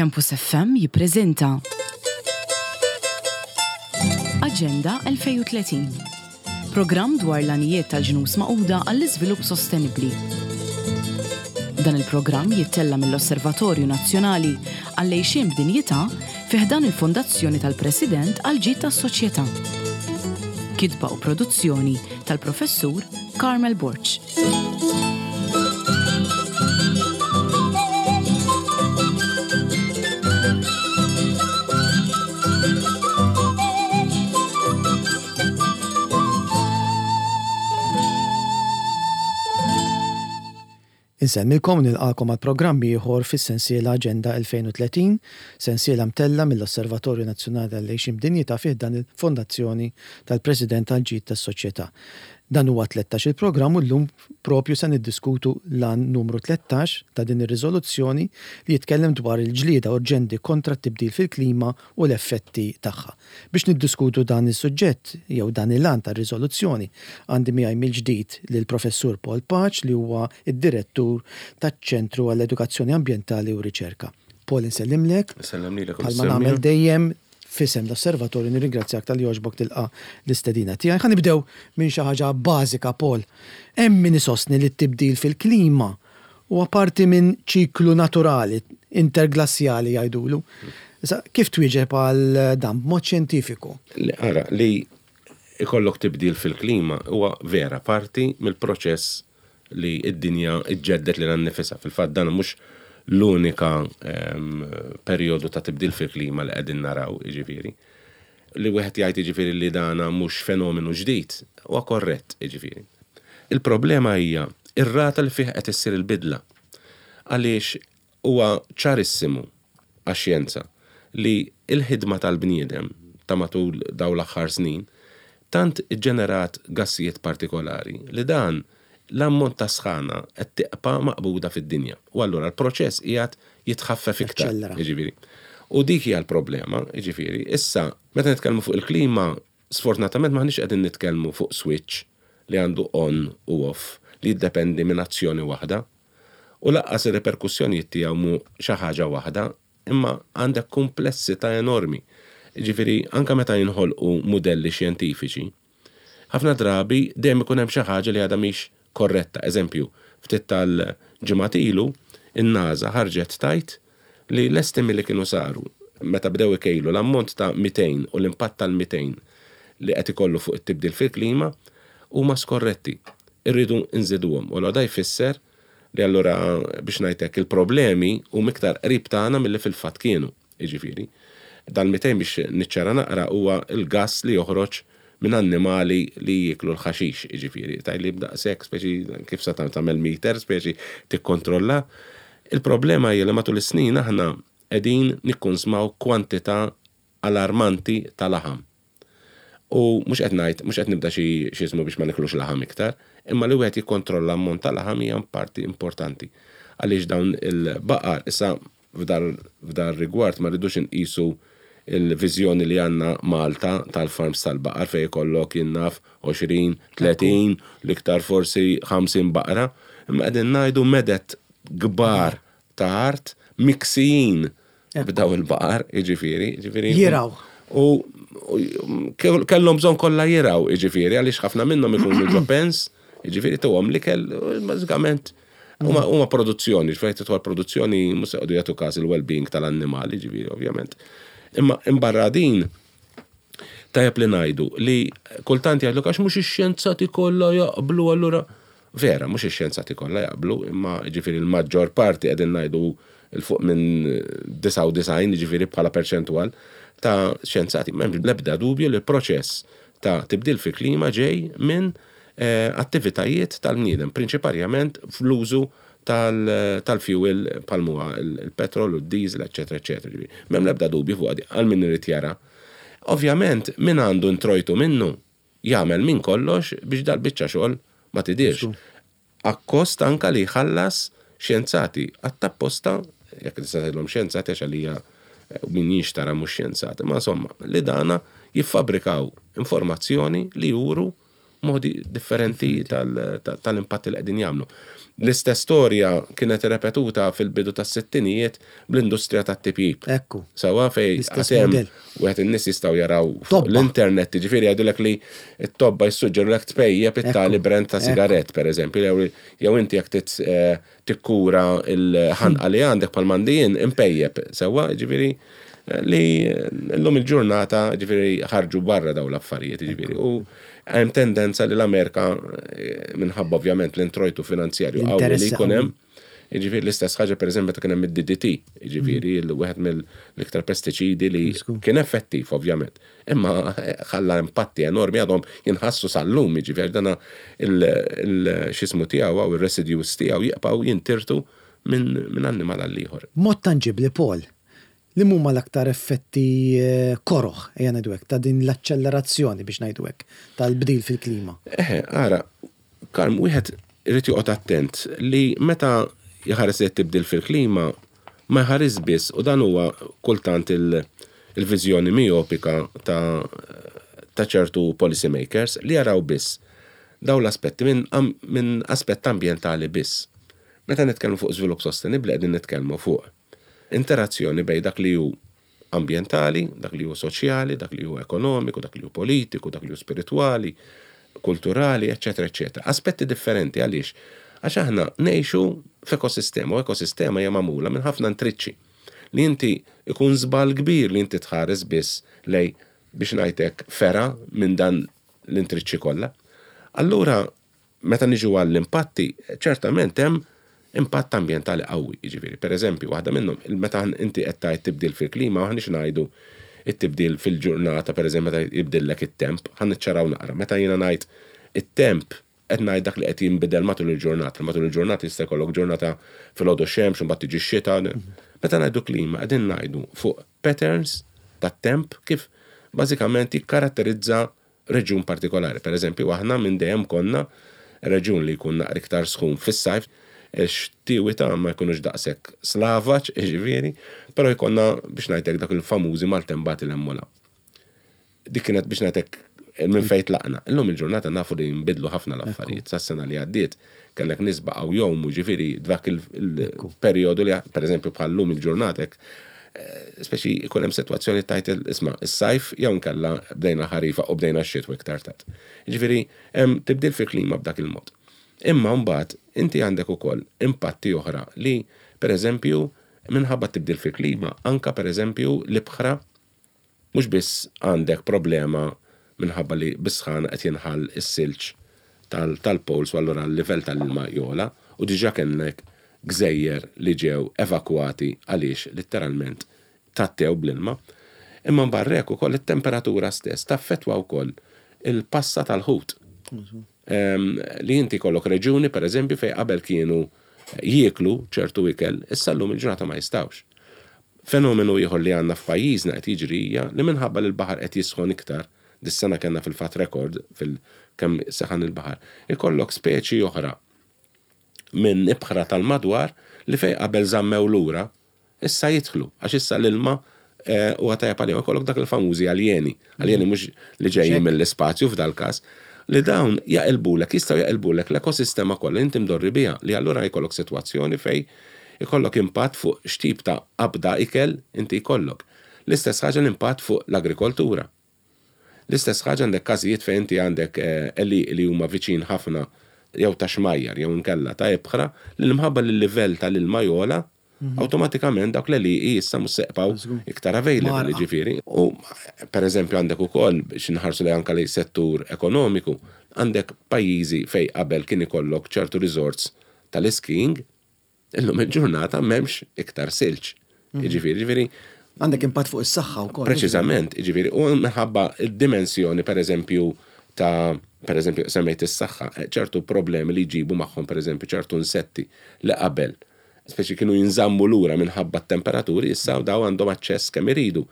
Campus FM jippreżenta Aġenda 2030. Programm dwar l-għanijiet tal-Ġnus Magħquda għall-Iżvilupp Sostenibbli. Dan il-programm jittella' mill-Osservatorju Nazzjonali għall-Għixien b'Dinjità fi ħdan il-Fondazzjoni tal-President għall-Ġid tas-Soċjetà. Kitba u produzzjoni tal-Professur Carmel Borg. Insellmilkom u nilqagħkom għal programm ieħor fis-sensiela Aġenda 2030, sensiela mtellgħa mill-Osservatorju Nazzjonali għall-Għixien b'Dinjità fi ħdan il-Fondazzjoni tal-President għall-Ġid tas-Soċjetà. Dan huwa t-tlettax-il programm u llum propju se niddiskutu l-għan numru 13 ta' din ir-riżoluzzjoni li jitkellem dwar il-ġlieda urġenti kontra t-tibdil fil-klima u l-effetti tagħha. Biex niddiskutu dan is-suġġett jew dan il-għan tar-riżoluzzjoni għandi miegħi mill-ġdid lill-Professur Paul Pace li huwa d-Direttur taċ-Ċentru għall-Edukazzjoni Ambjentali u Riċerka. Paul insellimlek. Insellem lilek u Bħalma nagħmel dejjem f'isem l-Osservatorju nirringrazzjak talli għoġbok tilqa' l-istedina tiegħi. Ħa nibdew minn xi ħaġa bażika Paul. Hemm min isostni li t-tibdil fil-klima huwa parti minn ċiklu naturali, interglassjali jgħidulu. Issa, kif twieġeb għal dan b'mod xjentifiku? Ara, li ikollok tibdil fil-klima huwa vera parti mill-proċess li d-dinja ġġedded lilha nnifisha. Fil-fatt dan mhux l-unika perjodu ta' tibdil fil-klima li qegħdin naraw, jiġifieri. Li wieħed jgħid jiġifieri li dana mhux fenomenu ġdid, huwa korrett, jiġifieri. Il-problema hija r-rata li fih qed issir il-bidla. Għaliex Huwa ċarissimu għax-xjenza li l-ħidma tal-bniedem ta' matul dawn l-aħħar snin tant iġġenerat gassijiet partikolari li dan l-ammont ta' sħana qed tiqpa' maqbuda fid-dinja u allura l-proċess qiegħed jitħaffef iktar, jiġifieri. U dik hija l-problema, jiġifieri. Issa, meta nitkellmu fuq il-klima, sfortunatament m'aħniex qegħdin nitkellmu fuq switch li għandu on u off li jiddependi minn azzjoni waħda. U lanqas ir-riperkussjonijiet tiegħu mhu xi ħaġa waħda, imma għandek kumplessità enormi. Jiġifieri anke meta jinħolqu mudelli xjentifiċi, ħafna drabi dejjem ikun hemm xi ħaġa li għadha mhix korretta. Eżempju, ftit tal-ġimgħat ilu, in-NASA ħarġet tgħid li l-estimi li kienu saru meta bdew ikejlu l-ammont ta' methane u l-impatt tal-methane li qed ikollu fuq it-tibdil fil-klima huma skorretti. Irridu nżiduhom. U allura da jfisser li allura biex ngħid hekk il-problemi huma iktar qrib tagħna milli fil-fatt kienu. Jiġifieri, dal-methane biex niċċara naqra huwa l-gass li joħroġ minn annimali li jieklu l-ħaxix, jiġifieri, tgħidli b'daqshekk speċi kif sa tagħmel meter speċi tikkontrolla. Il-problema hija li matul is-snin aħna qegħdin nikkunsmaw kwantità alarmanti ta' laħam. U mhux qed ngħid, mhux qed nibda xi x'iżmu biex ma niklux laħam iktar, imma li wieħed jikkontrolla ammont ta' laħam hija parti importanti. Għaliex dawn il-baqar, issa f'dar rigward ma rridux inqisu l-viżjoni li għandna Malta tal-farms tal-baqar fejn ikollok jien naf 20, 30, l-iktar forsi 50 baqra, imma qegħdin ngħidu meded kbar ta' art miksijin b'daw il-baqar, jiġifieri, jiġifieri. Jirgħu. U kellhom bżonn kollha jirgħu, jiġifieri, għaliex ħafna minnhom ikunu ġo pens, jiġifieri tuhom l-ikel, bażikament huma produzzjoni, ġifieri tidħol produzzjoni mhux se jqogħdu jagħtu każ il-well-being tal-annimali, ġifieri ovvjament. Imma imbarra din, tajjeb li ngħidu li kultant jgħidlek għax mhux ix-xjenzati kollha jaqblu allura Vera, mhux ix-xjenzati kollha jaqblu, imma jiġifieri l-maġġor parti qegħdin ngħidu 'l fuq minn 99, jiġifieri bħala perċentwal ta' xjenzati. M'hemm l-ebda dubju li l-proċess ta' tibdil fil-klima ġej minn attivitajiet tal-bniedem, prinċiparjament fl-użu tal-fuel bħal m'huwa l-petrol u d-diesel, eċċetera, eċċetera. Jiġifieri m'hemm l-ebda dubju fuqha di għal min irid jara. Ovvjament min għandu introjtu minnu jagħmel minn kollox biex dal-biċċa xogħol ma tidhirx. Akkost anka li jħallas xjenzati għat-tapposta, jekk tista' tgħidilhom xjenzati għax għalija min jinxtara mhux xjenzat, imma insomma li dana jiffabbrikaw informazzjoni li juru modi differenti tal-impatti li qegħdin jagħmlu. L-istess storja kienet repetuta fil-bidu tas-sittinijiet bl-industrija tat-tipjip. Ekku. Sewwa fej L-istess għad hemm mudell. wieħed in-nies jistgħu jaraw fuq Tobba. l-internet, jiġifieri jgħidulek li t-tobba jissuġġerulek tpejjep it-tali brand ta' sigarett, pereżempju, jew jew inti jekk tit eh, tikkura l-ħanqa li għandek bħal m'għandi jien, impejjep. Sewwa, jiġifieri eh, li llum il-ġurnata jiġifieri ħarġu barra dawn l-affarijiet, jiġifieri. U hemm tendenza li l-Amerika eh, minħabba ovvjament l-introjtu finanzjarju qawwi li L-interessi jkun hemm, qawwi. jiġifieri l-istess ħaġa pereżempju meta kien hemm id-DDT, jiġifieri wieħed mill-iktar pestiċidi li kien effettiv ovvjament, imma ħalla impatti enormi għadhom jinħassu sal-lum, jiġifieri dana il-xismu tiegħu u ir-residues tiegħu jibqgħu jintirtu minn annimal għal ieħor. Mod tanġibli, Paul, li huma l-aktar effetti eh, koroħ, ejja ngħidu hekk, ta' din l-accelerazzjoni biex ngħidu hekk, tal-bdil fil-klima. Eħe, ara, Karm, wieħed irid joqgħod attent li meta jħares li tibdil fil-klima ma jħares biss, u dan huwa kultant il-viżjoni miopika ta' ta' ċertu policy makers li jaraw biss daw l-aspetti minn aspett ambjentali biss. Meta nitkellmu fuq żvilupp sostenibbli qegħdin nitkellmu fuq interazzjoni bejn dak li hu ambjentali, dak li hu soċjali, dak li hu ekonomiku, dak li hu politiku, dak li hu spiritwali, kulturali, eccetera, eccetera. Aspetti differenti għaliex? Għax aħna ngħixu f'ekosistema, u ekosistema hija magħmula minn ħafna intriċċi. Li inti ikun żball kbir li inti tħares biss lej biex ngħidlek fera minn dan l-intriċċi kollha. Allura, meta niġu għall-impatti, ċertament hemm impatt ambjentali qawwi, jiġifieri. Per eżempju, waħda minnhom, meta inti qed tgħid tibdil fil-klima, aħniex ngħidu it-tibdil fil-ġurnata, per eżempju, meta jibdillek it-temp, ħa niċċaraw naqra. Meta jiena ngħid it-temp, qed ngħid dak li qed jinbidel matul il-ġurnata. Matul il-ġurnata jista' jkollok ġurnata filgħodu xemx, imbagħad tiġi x-xita. Meta ngħidu klima, qegħdin ngħidu fuq patterns tat-temp kif bażikament jikkaratterizza reġjun partikolari. Per eżempju, aħna minn dejjem konna reġjun li jkun naqra iktar sħun fis-sajf, xtiewi ta' ma jkunux daqshekk slavaġ, jiġifieri, però jkollna biex ngħidlek dak il-famużi maltembati l-emmola. Dik kienet biex ngħidlek minn fejn tlaqna. Illum il-ġurnata nafu li nbidlu ħafna l-affarijiet. Sas-sena li għaddiet kellek nies baqgħu jgħumu, ġifieri dak il-perjodu li pereżempju bħal-lum il-ġurnata hekk, speċi jkun hemm sitwazzjoni tajt isma' is-sajf jew nkella bdejna ħarifa u bdejna x-xitwa iktar tard. Ġifieri hemm tibdil fil-klima b'dak il-mod. Imma mbagħad inti għandek ukoll impatti oħra li pereżempju minħabba tibdil fil-klima anka pereżempju l-ibħra mhux biss għandek problema minħabba li bis-sħana qed jinħall is-silġ tal-poles u allura l-livell tal-ilma jola u diġà kellek gżejjer li ġew evakwati għaliex letteralment tattew bl-ilma. Imma barrek ukoll it-temperatura stess taffettwa wkoll il-passa tal-ħut. Li inti kollok reġuni per eżempju fej qabel kienu jieklu ċertu ikel, issa llum il-ġurnata ma jistawx. Fenomenu ieħor li għandna f'pajjiżna qed jiġri hija li minħabba li l-baħar qed jisħon iktar, dis-sena kellna fil-fatt rekord fil-kemm seħan il-baħar, ikollok speċi oħra minn ibħra tal-madwar li fej qabel żammew lura, issa jidħlu, għax issa l-ilma huwa tajjeb għalihom. Ikollok dak il-famużi aljeni, aljeni mhux li ġejjin mill-ispazju f'dal-każ, li dawn jaqilbulek, jistgħu jaqilbulek l-ekosistema kollha inti mdorri biha, li allura jkollok sitwazzjoni fej ikollok impatt fuq x'tip ta' qabda ikel inti jkollok. L-istess ħaġa l-impatt fuq l-agrikoltura. L-istess ħaġa għandek każijiet fejn inti għandek għelieqi li huma viċin ħafna jew ta' xmajjar jew inkella ta' ibħra li l-imħabba li l-livell tal-ilma jola, awtomatikament dawk l-għelieqi issa mhux se jibqgħu iktar available, ġifieri. U per eżempju għandek ukoll biex inħarsu lejn anke lejn settur ekonomiku, għandek pajjiżi fejn qabel kien ikollok ċertu resorts tal-skiing, illum il-ġurnata m'hemmx iktar silġ. Jiġifieri, ġifieri Għandek impatt fuq is-saħħa wkoll. Preċiżament, jiġifieri, u minħabba d-dimensjoni pereżempju ta' pereżempju semmejt is-saħħa, ċertu problemi li jġibu magħhom pereżempju ċertu insetti li qabel speċi kienu jinżammu lura minħabba t-temperaturi, issa daw għandhom aċċess kemm iridu.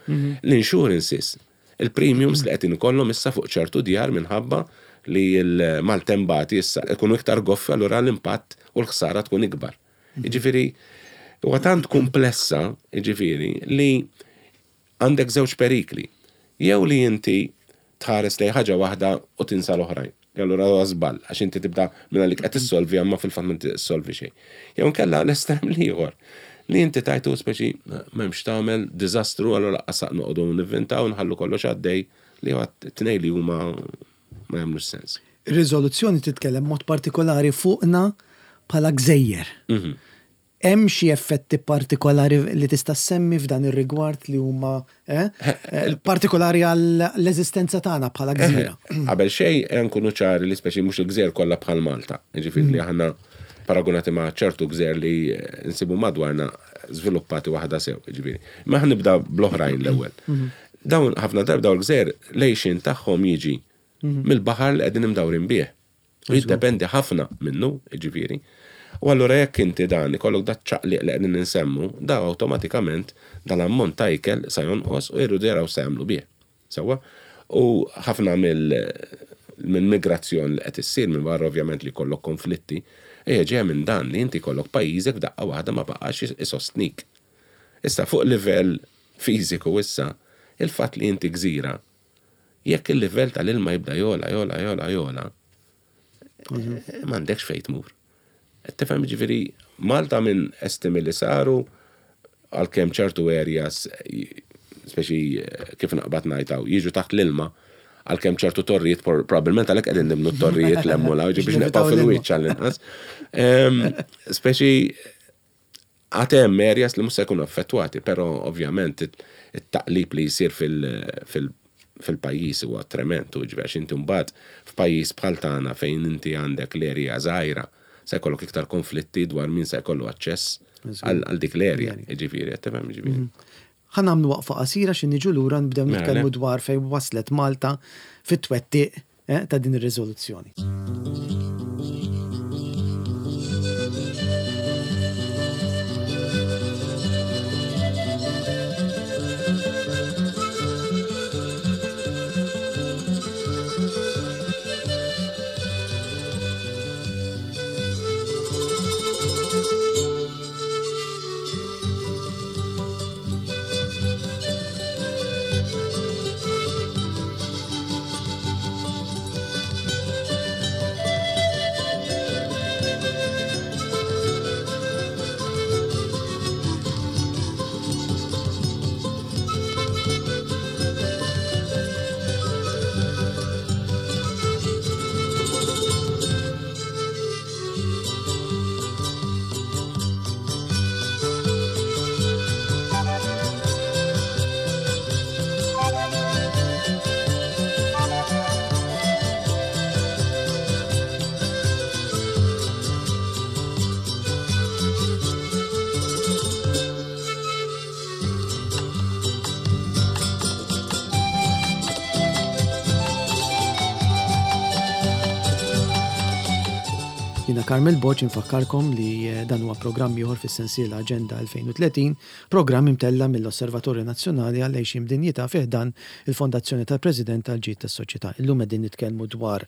L-insurances, il-premiums li qed ikollhom issa fuq ċertu djar minħabba li l-maltembati issa ikunu iktar goffi, allura l-impatt u l-ħsara tkun ikbar. Jiġifieri, huwa tant komplessa, jiġifieri, li għandek żewġ perikli. Jew li inti tħares lejn ħaġa waħda u tinsa l-oħrajn. E allura huwa żball għax inti tibda minn għalik qed issolvi imma fil-fatt m'inti issolvi xejn. Jew inkella l-estrem l-ieħor li inti tajtu speċi m'hemmx tagħmel diżastru allura laqqas noqogħdu nivvintaw nħallu kollox għaddej li huwa t-tnejn li huma ma jagħmlux sens. Ir-riżoluzzjoni titkellem mod partikolari fuqna bħala gżejjer. Hemm xi effetti partikolari li tista' ssemmi f'dan ir-rigward li huma eh, eh, partikolari għall-eżistenza tagħna bħala gżira? Qabel xejn nkunu ċari li speċi mhux il-gżejjer kollha bħal Malta. Jiġifieri li aħna paragunati ma' ċertu gżejjer li nsibu madwarna żviluppati waħda sew, jiġifieri. Ma ħa nibda bl-oħrajn l-ewwel. Dawn ħafna darba dawn il-gżejjer l-għixien tagħhom jiġi mill-baħar li qegħdin imdawrin bih. U jiddependi ħafna minnu, jiġifieri. U allura jekk inti dan ikollok dat ċaqliq li qegħdin insemmu, da awtomatikament dal-ammont ta' ikel sa jonqos u jridu jaraw se jagħmlu bih. Sewwa? U ħafna mill-migrazzjoni li qed issir minn barra ovvjament li jkollok konflitti, hija ġejja minn dan li inti jkollok pajjiżek f'daqqa waħda ma baqax isostnik. Issa fuq livell fiżiku issa, il-fatt li inti gżira, jekk il-livell tal-ilma jibda jogħla, jogħla, jogħla, jogħla, m'għandekx fejn tmur. Tifhem ġifieri Malta minn estimi li saru għalkemm ċertu areas speċi kif naqbad ngħid jiġu taħt l-ilma għalkemm ċertu torrijiet probabbilment għalhekk qegħdin nibnu t-torrijiet l-hemm u biex nibqgħu fil-wiċċ għall-inqas. Speċi għad hemm areas li mhux se jkunu affettwati, però ovvjament it-taqlib li jsir fil-pajjiż huwa trement u ġifieri għax inti mbagħad f'pajjiż bħal tagħna fejn inti għandek l-area żgħira se jkollok iktar konflitti dwar min se jkollu aċċess għal dik l-area, jiġifieri, qed tifhem jiġifieri. Ħa nagħmlu waqfa qasira xi niġu lura nibdew nitkellmu dwar fejn waslet Malta fit-twettiq ta' din ir-riżoluzzjoni. Jiena Carmel Borg infakkarkom li eh, dan huwa programm ieħor fis-sensiela Aġenda 2030, programm imtella mill-Osservatorju Nazzjonali għal Għejxien b'Dinjità fi ħdan il-Fondazzjoni tal-President għall-Ġid tas-Soċjetà. Illum qegħdin nitkellmu dwar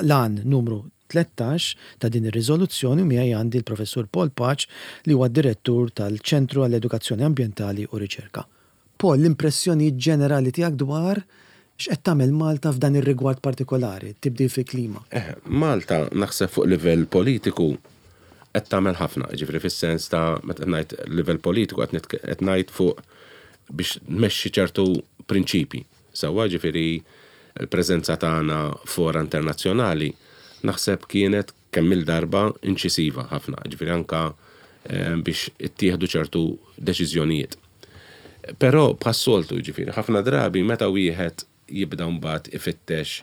l-għan numru 13 ta' din ir-riżoluzzjoni u miegħi għandi l-Professur Paul Pace li huwa d-Direttur tal-Ċentru għall-Edukazzjoni Ambjentali u Riċerka. Paul, l-impressjonijiet ġenerali tiegħek dwar x'qed tagħmel Malta f'dan ir-rigward partikolari, tibdil fil-klima? Eh, Malta naħseb fuq livell politiku qed tagħmel ħafna, jiġifieri fis-sens ta' meta qed ngħid livell politiku qed ngħid fuq biex tmexxi ċertu prinċipji. Sewwa, jiġifieri l-preżenza tagħna fora internazzjonali naħseb kienet kemm-il darba inċisiva ħafna, jiġifieri anke biex ittieħdu ċertu deċiżjonijiet. Però bħas-soltu, jiġifieri ħafna drabi meta wieħed jibda mbagħad ifittex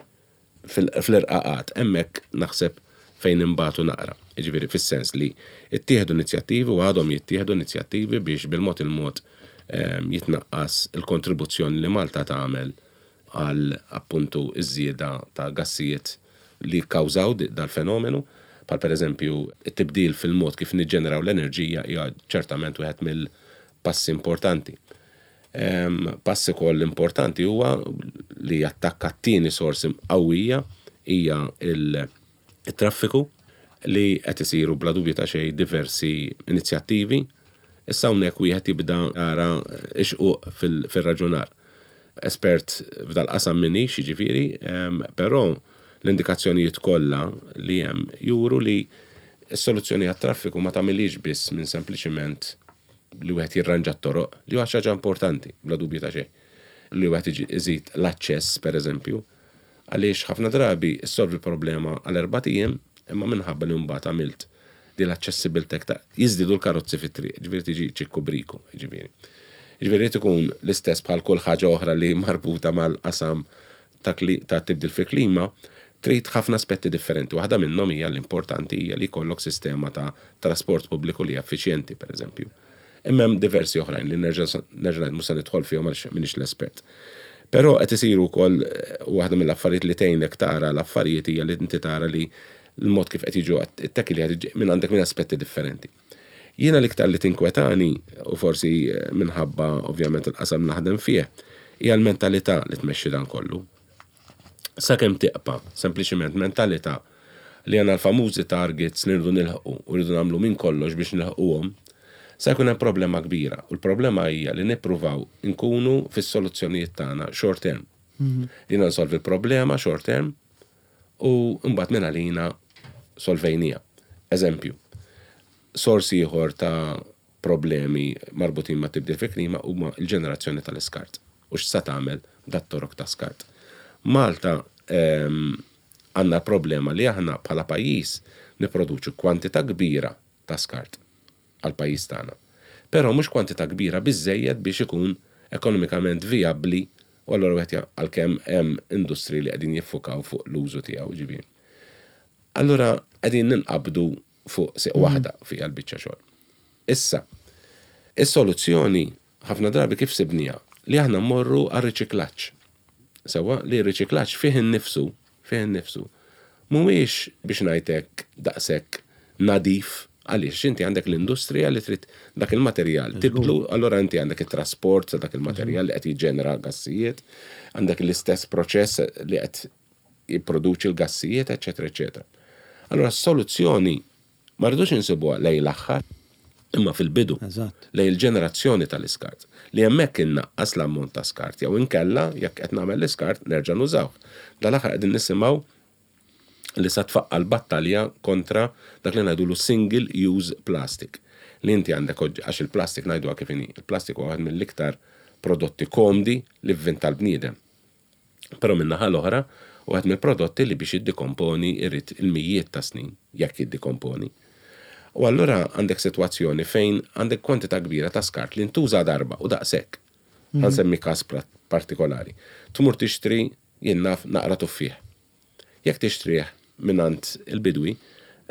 fl-irqaqat, hemmhekk naħseb fejn inbatu naqra. Jiġifieri fis-sens li ttieħdu inizjattivi u għadhom jittieħdu inizjattivi biex bil-mod il-mod jitnaqqas il-kontribuzzjoni li Malta tagħmel għal appuntu ż-żieda ta' gassijiet li jikkawżaw dal-fenomenu, bħal pereżempju t-tibdil fil-mod kif niġġeneraw l-enerġija hija ċertament wieħed mill-passi importanti. Pass ukoll importanti huwa li jattakka t-tieni sors qawwija hija il-traffiku li qed isiru bla dubju ta' xejn diversi inizjattivi. Issa hawnhekk wieħed jibda jara x-xquq fir-raġunar. Espert f'dal-qasam m'iniex, jiġifieri, però L-indikazzjonijiet kollha li hemm juru li s-soluzzjoni għat-traffiku ma tagħmilhiex biss minn sempliċiment li wieħed jirranġa t-toroq, li huwa xi ħaġa importanti, bla dubju ta' xejn. Li wieħed iżid l-aċċess, pereżempju, għaliex ħafna drabi ssolvi problema għal erbat ijiem, imma minħabba li mbagħad għamilt din l-aċċessibilità ta' jiżdiedu l-karozzi fit-triq, ġifieri tiġi ċikku briku, ġifieri. Ġifieri jrid ikun l-istess bħal kull ħaġa oħra li marbuta mal-qasam ta' ta' tibdil fil-klima, trid ħafna aspetti differenti. Waħda minnhom hija l-importanti hija li jkollok sistema ta' trasport pubbliku li hija effiċjenti, pereżempju. Imma hemm diversi oħrajn li nerġa' nerġa' ngħid mhux se nidħol fihom għaliex m'iniex l-espert. Però qed isiru wkoll waħda mill-affarijiet li tgħinek tara l-affarijiet hija li inti tara li l-mod kif qed jiġu it-tackle minn għandek minn aspetti differenti. Jiena l-iktar li tinkwetani, u forsi minħabba ovvjament il-qasam naħdem fih, hija l-mentalità li tmexxi dan kollu. Sakemm tiqpa' sempliċiment mentalità li għandna l-famużi targets li rridu nilħqu u rridu nagħmlu minn kollox biex nilħquhom, sa jkun hemm problema kbira. U l-problema hija li nippruvaw inkunu fis-soluzzjonijiet tagħna short term. Jiena nsolvi l-problema short term u mbagħad minn għalina solvejniha. Eżempju, sors ieħor ta' problemi marbutin ma' tibdil fil-klima huma l-ġenerazzjoni tal-iskart u x'sa tagħmel dat-torok ta' skart. Malta għandna problema li aħna bħala pajjiż nipproduċu kwantità kbira ta' skart għall-pajjiż tagħna. Però mhux kwantità kbira biżżejjed biex ikun ekonomikament vijabbli u allura wieħed għalkemm hemm industriji li qegħdin jiffukaw fuq l-użu tiegħu ġifieri. Allura qegħdin ninqabdu fuq sieq waħda fiha l-biċċa xogħol. Issa, is-soluzzjoni ħafna drabi kif sibniha? Li aħna mmorru għar-riċiklaġġ. Sewwa, li r-riċiklaġġ fih innifsu, fih innifsu, mhuwiex biex ngħid hekk daqshekk nadif għaliex għax inti għandek l-industrija li trid dak il-materjal tibdlu, allura inti għandek it-trasport ta' dak il-materjal li qed jiġġenera gassijiet, għandek l-istess proċess li qed jipproduċi l-gassijiet, eċċetera, eċċetera. Allura s-soluzzjoni ma rridux insibuha lejn l-aħħar, imma fil-bidu, lejn il-ġenerazzjoni tal-iskart, li hemmhekk innaqqas l-ammont ta' skart jew inkella jekk qed nagħmel l-iskart nerġa' nużawh. Dal-aħħar qegħdin nisimgħu li sa tfaqqa' l-battalja kontra dak li ngħidulu single use plastic. Li inti għandek għax il-plastik ngħiduha kif inhi, il-plastik huwa waħed mill-iktar prodotti komdi li vvinta l-bniedem. Però min-naħa l-oħra, wieħed mill-prodotti li biex jiddikomponi jrid il-mijiet ta' snin, jekk jiddikomponi. U allura għandek sitwazzjoni fejn għandek kwantità kbira ta' skart li ntuża darba u daqshekk. Ħa nsemmi każ partikolari. Tmur tixtri, jien naf, naqra tuffieħ. Jekk tixtrih mingħand il-bidwi,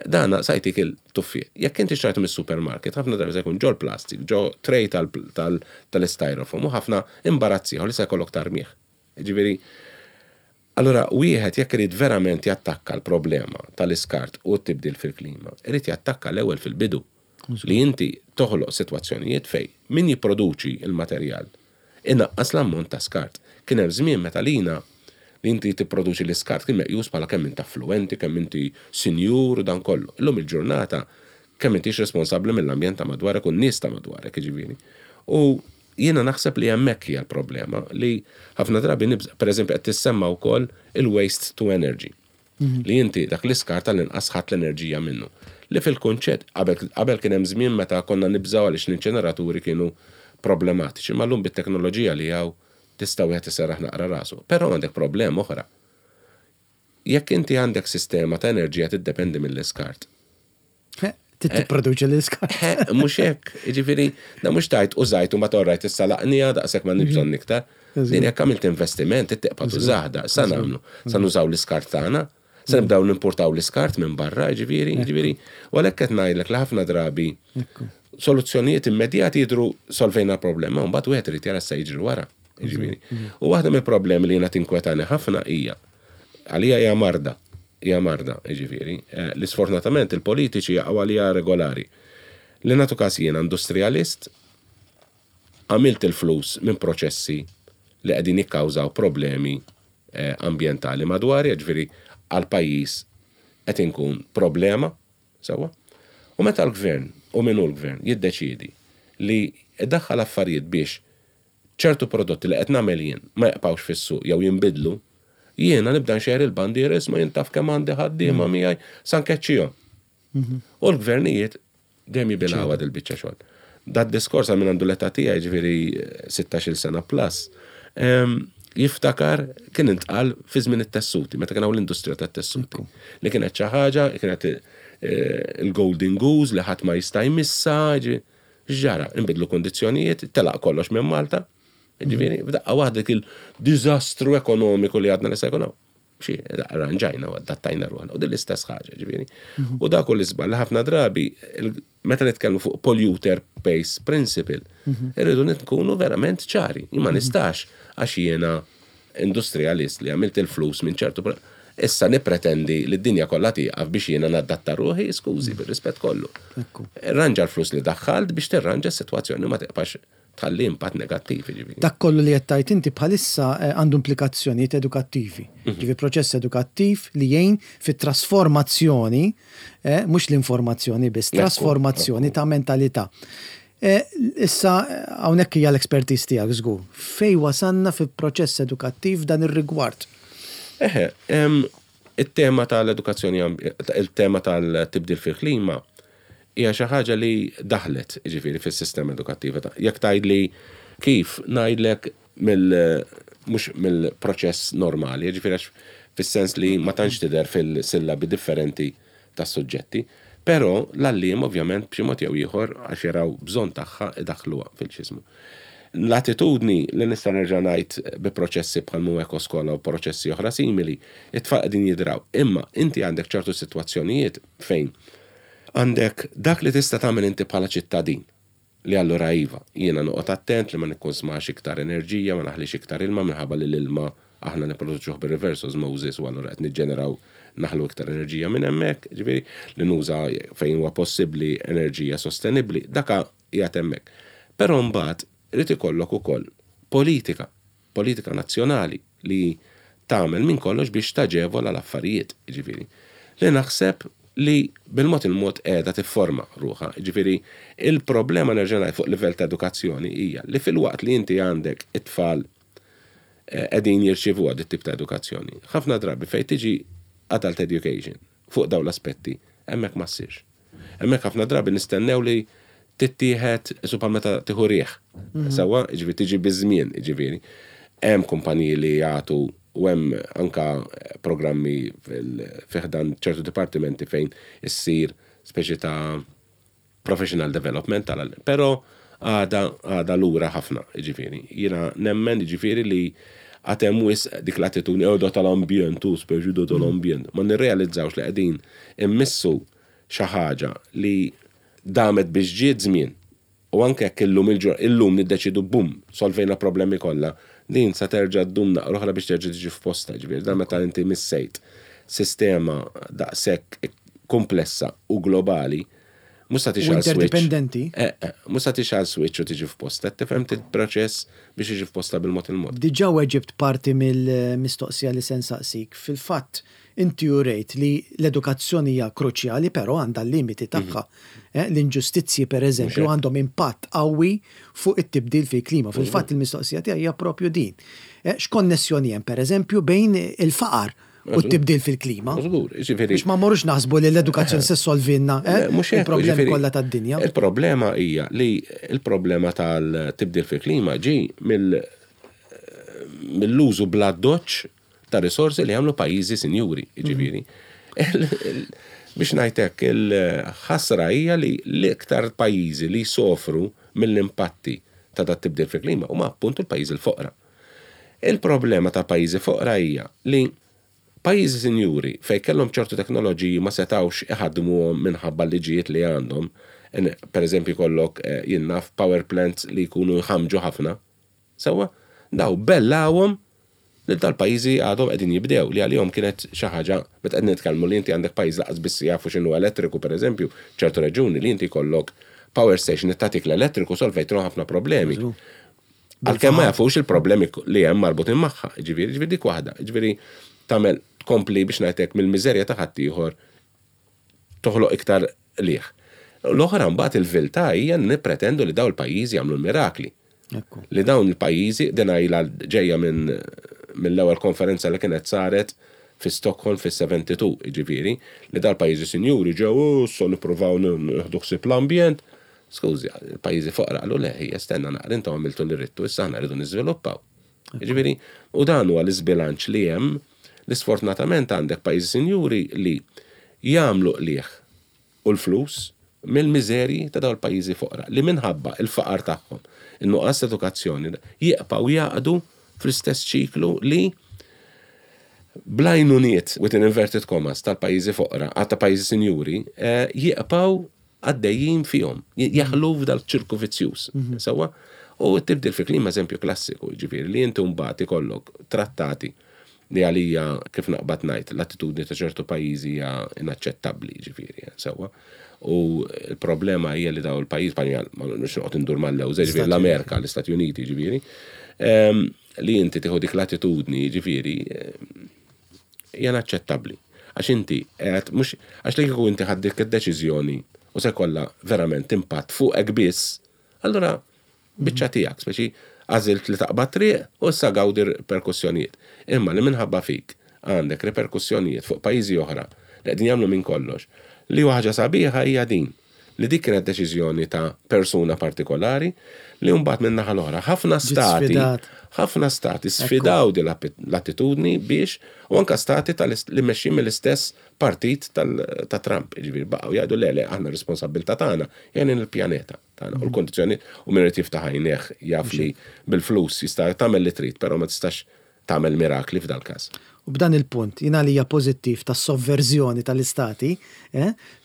dan sa jtik il-tuffieħ. Jekk inti xtrajtu mis-supermarket, ħafna drabi se jkun ġol-plastik, ġo tray tal-styrofoam u ħafna imbarazz ieħor li se jkollok tarmih. Jiġifieri, allura wieħed jekk irid verament jattakka l-problema tal-iskart u t-tibdil fil-klima, irid jattakka l-ewwel fil-bidu. Li inti toħloq sitwazzjonijiet fejn min jipproduċi l-materjal inaqqas l-ammont ta' skart. Kien hemm żmien meta lina li inti tipproduċi l-iskart kien meqjus bħala kemm int affluwenti, kemm inti sinjur u dan kollu. Illum il-ġurnata kemm intix responsabbli mill-ambjent ta' madwarek u n-nies ta' madwarek, jiġifieri. U jiena naħseb li hemmhekk hija l-problema li ħafna drabi nibża', pereżempju qed tissemma wkoll il-waste to energy. Li inti dak l-iskart tal-inqas ħadt l-enerġija minnu. Li fil-kunċett, qabel qabel kien hemm żmien meta konna nibżgħu għaliex l-inċineraturi kienu problematiċi, imma llum bit-teknoloġija li hawn tista' wieħed iserraħ naqra rasu. Però għandek problema oħra. Jekk inti għandek sistema ta' enerġija tiddependi mill-iskart, Trid tipproduċi l-iskart. Mhux hekk, jiġifieri, da mhux tajt użajt u ma torrajt issa laqnija daqshekk ma bżonn iktar. Din jekk għamilt investiment, tibqa' tużah da, sa nagħmlu. Sa nużaw l-iskart tagħna, sa nibdew nimportaw l-iskart minn barra, jiġifieri, jiġifieri. U għalhekk qed ngħidlek li ħafna drabi soluzzjonijiet immedjati jidhru solvejna l-problema, u mbagħad wieħed irid jara se jiġri wara. Jiġifieri. U waħda mill-problemi li jiena tinkwetani ħafna hija għalija hija marda. Hija marda, jiġifieri, li sfortunatament il-politiċi jaqgħu għaliha regolari. Li nagħtu każ jiena industrijalist, għamilt il-flus minn proċessi li qegħdin jikkawżaw problemi ambjentali madwari, jiġifieri għall-pajjiż qed inkun problema, sewwa? U meta l-gvern, u min hu l-gvern, jiddeċiedi li jdaħħal affarijiet biex ċertu prodotti li qed nagħmel jien ma jibqgħux fis-suq jew jinbidlu, Jiena nibda nxejjer il-bandiera isma' jien taf kemm għandi ħaddiema miegħi sa nkeċċihom. U l-gvernijiet dejjem jibilgħuha dil-biċċa xogħol. Dad-diskors għal min għandu l-età tiegħi, ġifieri 16-il sena plus, jiftakar kien intqal fi żmien it-tessuti, meta kien hawn l-industrija tat-tessuti. Li kienet xi ħaġa, kienet il-golden goose li ħadd ma jista' jmissha, x'ġara? Inbidlu kundizzjonijiet, telaq kollox minn Malta, ġifieri, f'daqqa waħda dik il-diżastru ekonomiku li għadna li se jkun hawn. Xi, arranġajna u adattajna ruħna. U din l-istess ħaġa, ġifieri. U dak hu l-iżball li ħafna drabi meta nitkellmu fuq polluter pays principle, irridu nkunu verament ċari. Jien ma nistax għax jiena industrialist li għamilt il-flus minn ċertu issa nippretendi li d-dinja kollha tieqaf biex jiena nadatta ruħi, skużi, bir-rispett kollu. Irranġa l-flus li daħħalt biex tirranġa s-sitwazzjoni ma tiqfax tħalli impatt negattiv, jiġifieri. Dak kollu li qed tgħid inti bħalissa għandu implikazzjonijiet edukattivi. Jiġifieri proċess edukattiv li jgħin fit-trasformazzjoni, mhux l-informazzjoni biss, trasformazzjoni ta' mentalità. Issa hawnhekk hija l-expertise tiegħek żgur. Fejn wasalna fil-proċess edukattiv f'dan ir-rigward? Eħe, it-tema tal-edukazzjoni, il-tema tal-tibdil fil-klima hija xi ħaġa li daħlet, jiġifieri, fis-sistema edukattiva. Jekk tgħidli kif, ngħidlek mill mhux mill-proċess normali, jiġifieri għax fis-sens li ma tantx tidher fil-sillabi differenti tas-suġġetti, però l-għalliem ovvjament b'xi mod jew ieħor għax jaraw bżonn tagħha idaħħluha fil-x'ismu. L-attitudni li nista' nerġa' ngħid bi proċessi bħal mhu Ekoskola u proċessi oħra simili, it-tfal qegħdin jidraw. Imma inti għandek ċertu sitwazzjonijiet fejn għandek dak li tista' tagħmel inti bħala ċittadin, li allura iva, jiena noqgħod attent li ma nikkunsmax iktar enerġija, ma naħlix iktar ilma minħabba li l-ilma aħna nipproduċuh bir-reverse osmosis u allura qed niġġeneraw naħlu iktar enerġija minn hemmhekk, ġifieri li nuża fejn huwa possibbli enerġija sostenibbli, daka qiegħed hemmhekk. Però mbagħad irid ikollok ukoll politika, politika nazzjonali li tagħmel minn kollox biex taġevola l-affarijiet, jiġifieri, li naħseb li bil-mod il-mod qiegħda tifforma ruħha. Jiġifieri, il-problema nerġa' ngħid fuq livell ta' edukazzjoni hija li filwaqt li inti għandek it-tfal qegħdin jirċievuha dit-tip ta' edukazzjoni, ħafna drabi fejn tiġi adult education fuq dawn l-aspetti, hemmhekk ma ssirx. Hemmhekk ħafna drabi nistennew li tittieħed isu bħal meta tieħu riħ. Sewwa, jiġifieri tiġi biż-żmien, jiġifieri. Hemm kumpaniji li jagħtu u hemm anka programmi fi ħdan ċertu dipartimenti fejn issir speċi ta' professional development tal però għadha għadha lura ħafna, jiġifieri. Jiena nemmen jiġifieri li għad hemm wisq dik l-attitudni, oh da tal-ambjent, hu speċi da tal-ambjent. Ma nirrealizzawx li qegħdin immissu xi ħaġa li damet biex ġiet żmien u anke jekk illum illum niddeċiedu bum, solvejna l-problemi kollha, din sa terġa' ddum naqra oħra biex terġa' tiġi f'postha, jiġifieri dan meta inti missejt sistema daqshekk kumplessa u globali, mhux sa tixgħal switch. Interdipendenti. Eh, eh, mhux sa tixgħal switch u tiġi f'postha, tifhem proċess biex jiġi f'postha bil-mod il-mod. Diġà weġibt parti mill-mistoqsija li se nsaqsik. Fil-fatt, Inti urejt li l-edukazzjoni hija kruċjali però għandha l-limiti tagħha. L-inġustizzji pereżempju għandhom impatt qawwi fuq it-tibdil fil-klima. Fil-fatt il-mistoqsija tiegħi hija proprju din. X'konnessjoni hemm pereżempju bejn il-faqar u t-tibdil fil-klima? Biex ma mmorrux naħsbu li l-edukazzjoni se ssolvilna il-problemi kollha tad-dinja. Il-problema hija li l-problema tal-tibdil fil-klima ġie mill-użu bl-addoċċ ta' risorsi li jagħmlu pajjiżi sinjuri, jiġifieri. Biex ngħid hekk, il-ħasra hija li l-iktar pajjiżi li jsofru mill-impatti ta' dat tibdil fil-klima huma appuntu l-pajjiżi l-foqra. Il-problema ta' pajjiżi foqra hija li pajjiżi sinjuri fejn kellhom ċertu teknoloġiji ma setgħux iħaddmuhom minħabba l-liġijiet li għandhom, pereżempju jkollok jien naf power plants li jkunu jħammġu ħafna, Sewwa? Daw bellgħuhom lil dal-pajjiżi għadhom qegħdin jibdew li għalihom kienet xi ħaġa meta qed nitkellmu li inti għandek pajjiż lanqas biss jafu x'inhu elettriku pereżempju, ċertu reġjuni li inti jkollok power station li tagħtik l-elettriku solvejtilhom ħafna problemi. Għalkemm ma jafux il-problemi li hemm marbutin magħha, jiġifieri, jiġifieri dik waħda, jiġifieri tagħmel tkompli biex ngħid hekk mill-miżerja ta' ħaddieħor toħloq iktar qligħ. L-oħra mbagħad il-viltà hija li nippretendu li dawn il-pajjiżi jagħmlu l-mirakli. Li dawn il-pajjiżi, din ilha ġejja minn mill-ewwel konferenza li kienet saret fi Stockholm fis-72, jiġifieri, li dal-pajjiżi sinjuri ġew, oh, issa nippruvaw nieħdu ħsieb l-ambjent. Skużi, il-pajjiżi foqra qalu le, ħija stenna naqra, intom għamiltu li ridtu, issa aħna rridu niżviluppaw. Jiġifieri, u dan huwa l-iżbilanċ li hemm li sfortunatament għandek pajjiżi sinjuri li jagħmlu qligħ u l-flus mill-miżerji ta' dawn il-pajjiżi foqra li minħabba l-faqar tagħhom, in-nuqqas ta' edukazzjoni, jibqgħu jgħaqqdu fl-istess ċiklu li bl-għajnuniet, within inverted commas, tal-pajjiżi foqra, ta' pajjiżi sinjuri, jibqgħu għaddejjin fihom, jaħlu f'dal-ċirku vizzjuż. Sewwa? U t-tibdil fil-klima eżempju klassiku, jiġifieri li inti mbagħad ikollok trattati li għalija kif naqbad ngħid l-attitudni ta' ċertu pajjiżi hija inaċċettabbli, jiġifieri, sewwa. U l-problema hija li daw il-pajjiż, ma nix noqgħod indur mal-lewża, jiġifieri l-Amerika, l-Istati Uniti, jiġifieri, li inti tieħu dik l-attitudni, jiġifieri, hija inaċċettabbli. Għax inti qed mhux għax li kieku inti ħadt dik id-deċiżjoni u se jkollha verament impatt fuqek biss, allura biċċa tiegħek, speċi għażilt li taqbad triq u issa gawdi r-riperkussjonijiet. Imma li minħabba fik għandek riperkussjonijiet fuq pajjiżi oħra li qegħdin jagħmlu minn kollox. Li huwa ħaġa sabiħa hija din, li dik kienet deċiżjoni ta' persuna partikolari li mbagħad min-naħa l-oħra ħafna stati ħafna stati sfidaw din l-attitudni biex u anke stati li mexjin mill-istess partit ta' Trump, jiġifieri baqgħu jgħidu le le aħna r-responsabbiltà tagħna hija il-pjaneta tagħna u l-kondizzjoni u min irid jiftaħ għajnejh jaf li bil-flus jista' tagħmel li trid, però ma tistax tagħmel mirakli f'dal-każ. U b'dan il-punt, jien għalija pożittiv tas-sovverżjoni tal-istati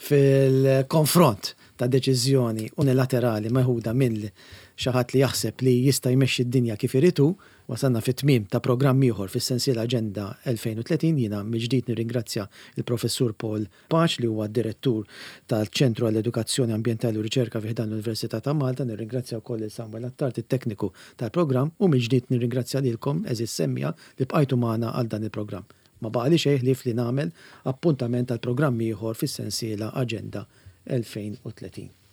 fil-konfront ta' deċiżjoni unilaterali meħuda minn xi ħadd li jaħseb li jista' jmexxi d-dinja kif irid hu, wasalna fit-tmiem ta' programm ieħor fis-sensiela Aġenda 2030. Jiena mill-ġdid nirringrazzja l-Professur Paul Pace li huwa d-Direttur tal-Ċentru għall-Edukazzjoni Ambjentali u Riċerka fi ħdan l-Università ta' Malta. Nirringrazzja wkoll lil Samuel Attard, it-tekniku tal-programm, u mill-ġdid nirringrazzja lilkom, għeżież semmiegħa, li bqajtu magħna għal dan il-programm. Ma baqali xejn ħlief li nagħmel appuntament għal programm ieħor fis-sensiela Aġenda 2030.